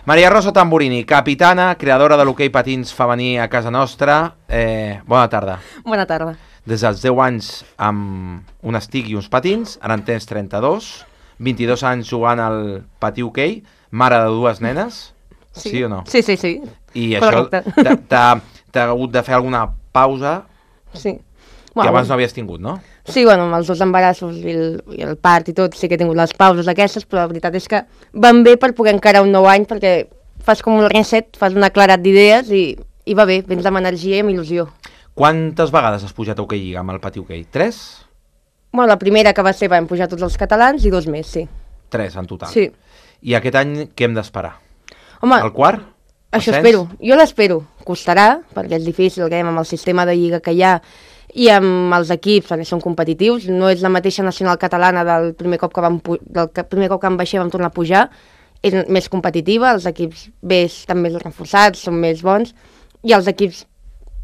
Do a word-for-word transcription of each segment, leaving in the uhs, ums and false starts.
Maria Rosa Tamburini, capitana, creadora de l'hoquei patins femení a casa nostra. Eh, bona tarda. Bona tarda. Des dels deu anys amb un estic i uns patins, ara en tens trenta-dos, vint-i-dos anys jugant al patí hoquei, mare de dues nenes, sí, sí o no? Sí, sí, sí. I correcte. Això t'ha hagut de fer alguna pausa sí. que bueno, abans no havies tingut, no? Sí, bueno, amb els dos embarassos i el, i el part i tot, sí que he tingut les pauses aquestes, però la veritat és que van bé per poder encarar un nou any, perquè fas com un reset, fas una claredat d'idees i, i va bé, vens amb energia i amb il·lusió. Quantes vegades has pujat a hoquei lliga amb el pati hoquei? Tres? Bueno, la primera que va ser vam pujar tots els catalans i dos més, sí. Tres en total? Sí. I aquest any què hem d'esperar? Home, el quart? Això espero, jo l'espero. Costarà, perquè és difícil, que amb el sistema de lliga que hi ha i amb els equips, perquè són competitius, no és la mateixa nacional catalana del primer cop que vam, del primer cop que vam baixar vam tornar a pujar, és més competitiva, els equips B estan més reforçats, són més bons, i els equips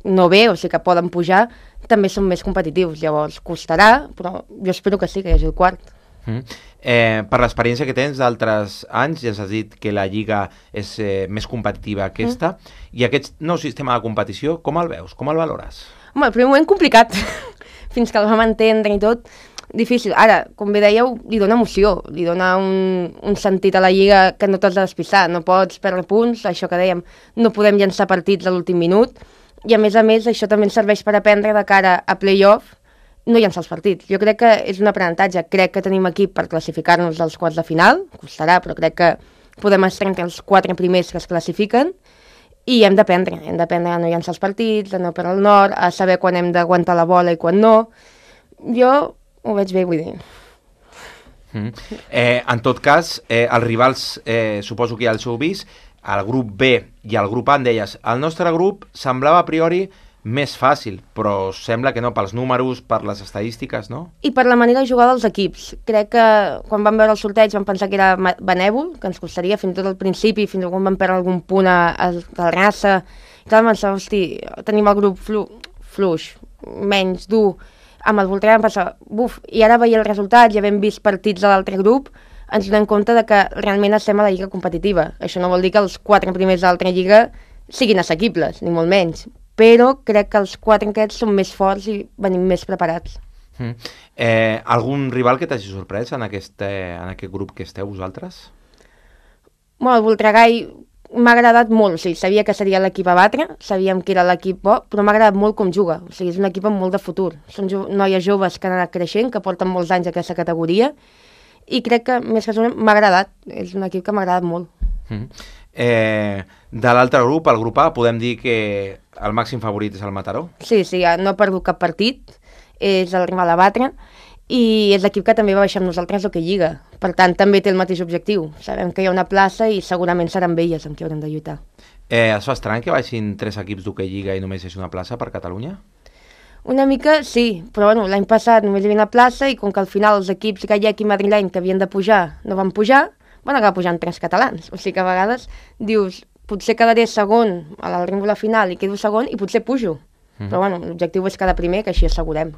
no B, o sigui que poden pujar, també són més competitius, llavors costarà, però jo espero que sí, que hi hagi el quart. Mm. Eh, per l'experiència que tens d'altres anys, ja has dit que la lliga és eh, més competitiva que aquesta, mm. i aquest nou sistema de competició, com el veus? Com el valores? Home, el primer moment complicat, fins que el vam entendre i tot, difícil. Ara, com bé dèieu, li dona emoció, li dona un, un sentit a la lliga que no t'has de despistar, no pots perdre punts, això que dèiem, no podem llançar partits a l'últim minut, i a més a més això també ens serveix per aprendre de cara a play-off, no llançar els partits. Jo crec que és un aprenentatge, crec que tenim equip per classificar-nos als quarts de final, costarà, però crec que podem estar entre els quatre primers que es classifiquen, i hem d'aprendre, hem d'aprendre a no llançar els partits, a no perdre el nord, a saber quan hem d'aguantar la bola i quan no. Jo ho veig bé, vull dir. Mm. Eh, en tot cas, eh, els rivals, eh, suposo que ja els heu vist, el grup B i el grup A, en deies, el nostre grup semblava a priori més fàcil, però sembla que no, pels números, per les estadístiques, no? I per la manera de jugar dels equips. Crec que quan vam veure el sorteig vam pensar que era benèvol, que ens costaria, fins i tot al principi, fins i tot quan vam perdre algun punt a, a, a la raça. I tal, vam pensar, hosti, tenim el grup flu, fluix, menys dur, amb el Voltregà vam pensar, buf, i ara veia el resultat, ja hem vist partits de l'altre grup, ens donem compte de que realment estem a la lliga competitiva. Això no vol dir que els quatre primers de l'altra lliga siguin assequibles, ni molt menys, però crec que els quatre aquests són més forts i venim més preparats. Mm. Eh, algun rival que t'hagi sorprès en aquest, eh, en aquest grup que esteu vosaltres? Bueno, el Voltregà m'ha agradat molt, o sigui, sabia que seria l'equip a batre, sabíem que era l'equip bo, però m'ha agradat molt com juga, o sigui, és un equip amb molt de futur. Són jo noies joves que han anat creixent, que porten molts anys a aquesta categoria, i crec que, més que això, m'ha agradat, és un equip que m'ha agradat molt. Mm. Eh, de l'altre grup, el grup A, podem dir que el màxim favorit és el Mataró? Sí, sí, no ha perdut cap partit, és el rival a batre, i és l'equip que també va baixar amb nosaltres el que lliga. Per tant, també té el mateix objectiu. Sabem que hi ha una plaça i segurament seran elles amb qui haurem de lluitar. Eh, es fa estrany que baixin tres equips d'hoquei lliga i només és una plaça per Catalunya? Una mica sí, però bueno, l'any passat només hi havia una plaça i com que al final els equips gallec i madrileny que havien de pujar no van pujar, van acabar pujant tres catalans. O sigui que a vegades dius, potser quedaré segon a la ringola final i quedo segon i potser pujo. Mm. Però bueno, l'objectiu és quedar primer, que així assegurem.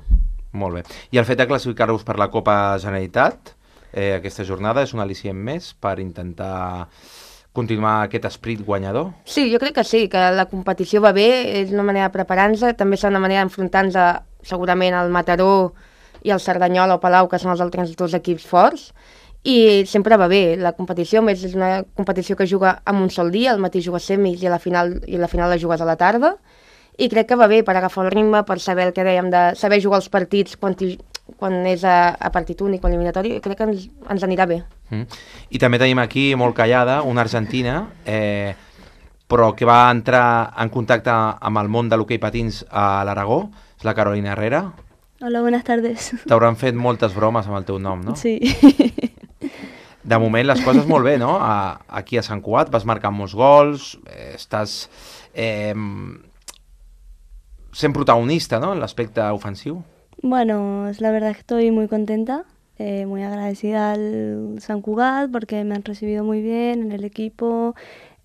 Molt bé. I el fet de classificar-vos per la Copa Generalitat, eh, aquesta jornada, és un al·licient més per intentar continuar aquest esperit guanyador? Sí, jo crec que sí, que la competició va bé, és una manera de preparar-nos, també és una manera d'enfrontar-nos segurament al Mataró i al Cerdanyola o Palau, que són els altres dos equips forts, i sempre va bé. La competició, més és una competició que juga en un sol dia, al matí jugues semis i a la final, i a la final la jugues a la tarda, i crec que va bé per agafar el ritme, per saber el que dèiem, de saber jugar els partits quan, quan és a, a partit únic o eliminatori, i crec que ens, ens anirà bé. Mm. I també tenim aquí, molt callada, una argentina, eh, però que va entrar en contacte amb el món de l'hoquei patins a l'Aragó, és la Carolina Herrera. Hola, buenas tardes. T'hauran fet moltes bromes amb el teu nom, no? Sí. De moment les coses molt bé, no? A, aquí a Sant Cugat vas marcar molts gols, eh, estàs eh, sent protagonista, ¿no?, en l'aspecte ofensiu. Bueno, la verdad es que estoy muy contenta, eh, muy agradecida al San Cugat porque me han recibido muy bien en el equipo,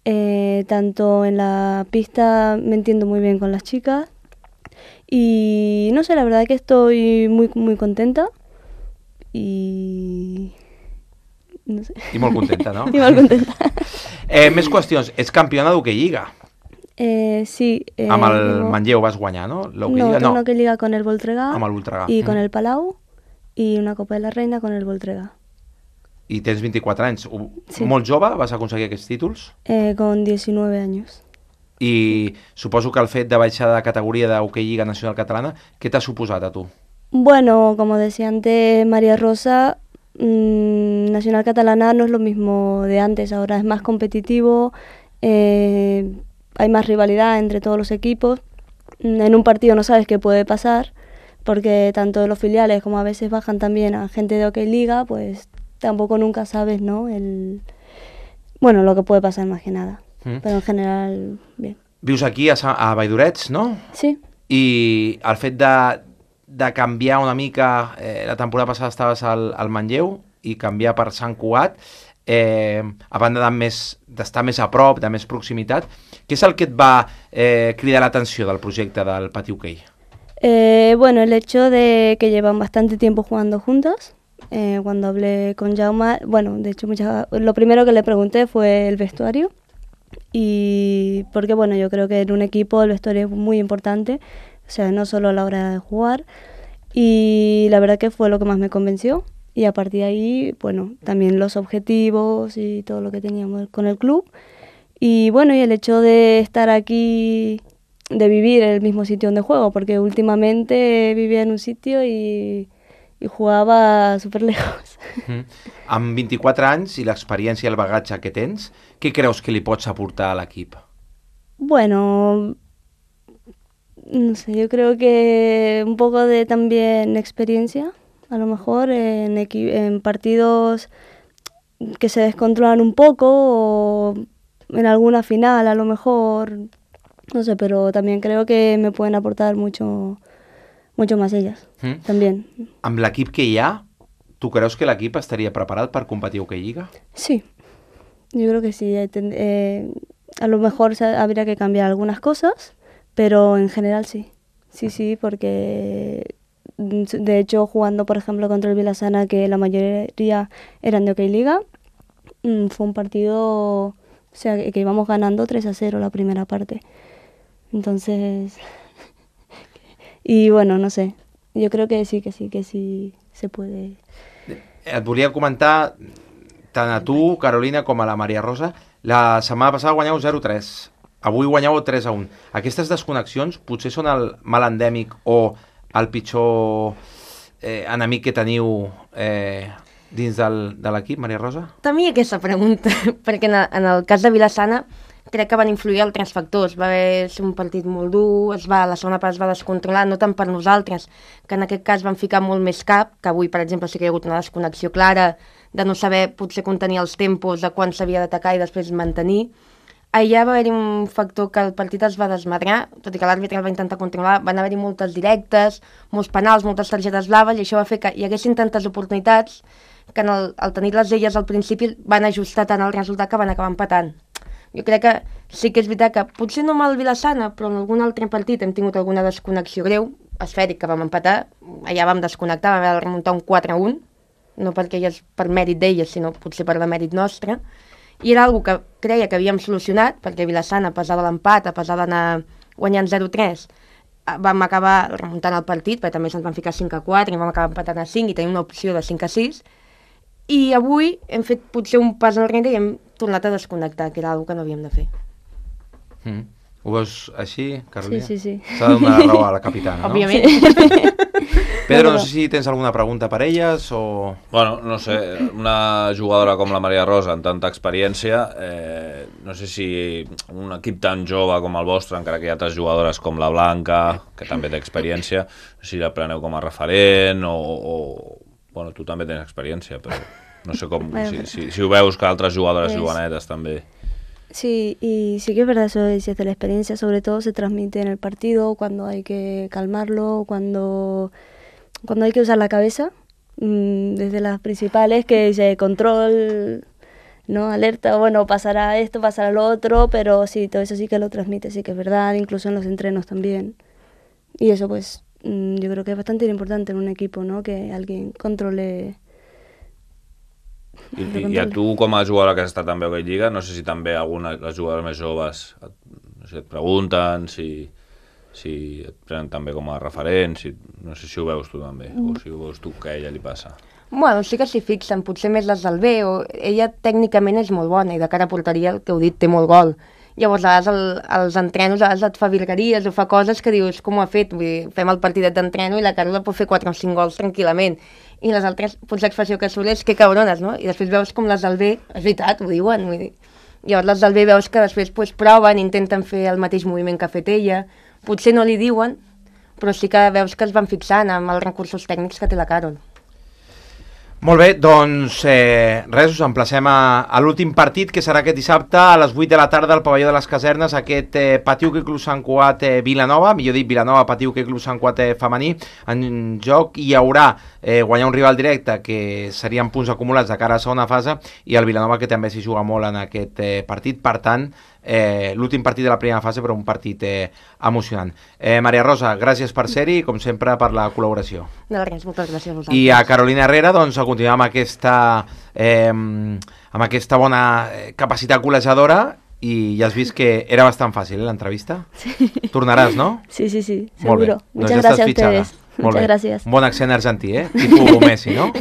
eh, tanto en la pista me entiendo muy bien con las chicas y no sé, la verdad que estoy muy, muy contenta y no sé. I molt contenta, no? I molt contenta. Eh, més qüestions. Ets campiona d'Hockey Lliga. Eh, sí. Eh, Amb el tengo... Manlleu vas guanyar, no? No, tengo no. Hockey Liga con el Voltregà. Amb el Voltregà. I mm. con el Palau. I una Copa de la Reina con el Voltregà. I tens vint-i-quatre anys. Sí. Molt jove vas aconseguir aquests títols? Eh, con diecinueve años. I suposo que el fet de baixar de categoria d'Hockey Lliga Nacional Catalana, què t'ha suposat a tu? Bueno, como decía antes María Rosa, mmm, Nacional Catalana no es lo mismo de antes, ahora es más competitivo, eh, hay más rivalidad entre todos los equipos. En un partido no sabes qué puede pasar, porque tanto los filiales como a veces bajan también a gente de Hockey Liga, pues tampoco nunca sabes, ¿no? El, bueno, lo que puede pasar más que nada. Mm. Pero en general, bien. Vius aquí a, a Valldorets, no? Sí. I el fet de, de canviar una mica, eh, la temporada passada estaves al, al Manlleu i canviar per Sant Cugat, eh, a banda de més, d'estar més a prop, de més proximitat, què és el que et va eh, cridar l'atenció del projecte del Pati Hockey? Eh, bueno, el hecho de que llevan bastante tiempo jugando juntos. Eh, cuando hablé con Jaume, bueno, de hecho muchas, lo primero que le pregunté fue el vestuario. Y porque bueno, yo creo que en un equipo el vestuario es muy importante, o sea, no solo a la hora de jugar, y la verdad que fue lo que más me convenció, y a partir de ahí, bueno, también los objetivos y todo lo que teníamos con el club, y bueno, y el hecho de estar aquí, de vivir en el mismo sitio donde juego, porque últimamente vivía en un sitio y, y jugaba súper lejos. Mm. Amb vint-i-quatre anys i l'experiència i el bagatge que tens, què creus que li pots aportar a l'equip? Bueno, no sé, yo creo que un poco de también experiencia, a lo mejor en, en partidos que se descontrolan un poco o en alguna final a lo mejor, no sé, pero también creo que me pueden aportar mucho, mucho más ellas, mm. también. Amb l'equip que hi ha, tu creus que l'equip estaria preparat per competir a Hockey Lliga? Sí, yo creo que sí. Eh, a lo mejor habría que cambiar algunas cosas, pero en general sí. Sí, sí, porque de hecho jugando por ejemplo contra el Vilassana, que la mayoría eran de Hockey Liga, fue un partido, o sea, que íbamos ganando tres a cero la primera parte. Entonces, y bueno, no sé, yo creo que sí, que sí, que sí se puede. Et volia comentar, tant a tu, Carolina, com a la Maria Rosa, la setmana passada guanyeu zero a tres, avui guanyeu tres a un. Aquestes desconnexions potser són el mal endèmic o el pitjor eh, enemic que teniu eh, dins del, de l'equip, Maria Rosa? També hi ha aquesta pregunta, perquè en el, en el cas de Vilassana crec que van influir altres factors. Va haver un partit molt dur, es va, la segona part es va descontrolar, no tant per nosaltres, que en aquest cas van ficar molt més cap, que avui, per exemple, sí que hi ha hagut una desconnexió clara de no saber potser contenir els tempos de quan s'havia d'atacar i després mantenir. Allà va haver-hi un factor que el partit es va desmadrar, tot i que l'àrbitre el va intentar controlar, van haver-hi moltes directes, molts penals, moltes targetes blaves, i això va fer que hi haguessin tantes oportunitats que en el, al tenir-les elles al principi van ajustar tant el resultat que van acabar empatant. Jo crec que sí que és veritat que potser no amb el Vilassana, però en algun altre partit hem tingut alguna desconnexió greu, esfèric, que vam empatar, allà vam desconnectar, vam haver de remuntar un quatre a un, no perquè és per mèrit d'elles, sinó potser per la mèrit nostra, i era una cosa que creia que havíem solucionat, perquè Vilassana, a pesar de l'empat, a pesar d'anar guanyant zero a tres, vam acabar remuntant el partit, perquè també se'ns van ficar cinc a quatre, i vam acabar empatant a cinc, i tenim una opció de cinc a sis, i avui hem fet potser un pas enrere i hem tornat a desconnectar, que era una cosa que no havíem de fer. Mm. Ho veus així, Carolina? Sí, sí, sí. S'ha de donar raó a la capitana, no? Òbviament. Pedro, no sé si tens alguna pregunta per elles o... Bueno, no sé, una jugadora com la Maria Rosa amb tanta experiència, eh, no sé si un equip tan jove com el vostre, encara que hi ha altres jugadores com la Blanca, que també té experiència, si la preneu com a referent o... o... Bueno, tu també tens experiència, però no sé com, si, si, si ho veus que altres jugadores jovenetes també. Sí, y sí que es verdad eso de la experiencia, sobre todo se transmite en el partido, cuando hay que calmarlo, cuando, cuando hay que usar la cabeza, mmm, desde las principales, que dice control, ¿no? Alerta, bueno, pasará esto, pasará lo otro, pero sí, todo eso sí que lo transmite, sí que es verdad, incluso en los entrenos también. Y eso pues mmm, yo creo que es bastante importante en un equipo, ¿no? Que alguien controle I, i, I a tu, com a jugadora que has estat també a Hockey Lliga, no sé si també alguna de les jugadores més joves et, no sé, et pregunten, si, si et prenen també com a referent, si, no sé si ho veus tu també, o si ho veus tu que a ella li passa. Bueno, sí que s'hi fixen, potser més les del B, o ella tècnicament és molt bona i de cara a porteria, el que heu dit, té molt gol. Llavors, a vegades el, els entrenos, a vegades et fa virgueries o fa coses que dius, com ho ha fet? Vull dir, fem el partidet d'entreno i la Carola pot fer quatre o cinc gols tranquil·lament. I les altres, potser l'expressió que surt és que cabrones, no? I després veus com les del B, és veritat, ho diuen, vull dir. Llavors les del B veus que després pues, proven, intenten fer el mateix moviment que ha fet ella, potser no li diuen, però sí que veus que es van fixant amb els recursos tècnics que té la Carol. Molt bé, doncs eh, res, us emplacem a, a l'últim partit, que serà aquest dissabte a les vuit de la tarda al pavelló de les Casernes, aquest eh, Patiu Hoquei Club Sant Cugat eh, Vilanova, millor dit Vilanova Patiu Hoquei Club Sant Cugat eh, femení. En joc hi haurà eh, guanyar un rival directe, que serien punts acumulats de cara a segona fase, i el Vilanova, que també s'hi juga molt en aquest eh, partit. Per tant, eh, l'últim partit de la primera fase, però un partit eh, emocionant. Eh, Maria Rosa, gràcies per ser-hi i, com sempre, per la col·laboració. De res, moltes gràcies a vosaltres. I a Carolina Herrera, doncs, a continuar amb aquesta, eh, amb aquesta bona capacitat col·legiadora, i ja has vist que era bastant fàcil, eh, l'entrevista? Sí. Tornaràs, no? Sí, sí, sí, Molt seguro. bé. Muchas Doncs ja gracias a estàs fitxada. ustedes. Molt Muchas bé. gracias. Un bon accent argentí, eh? Tipus Messi, no?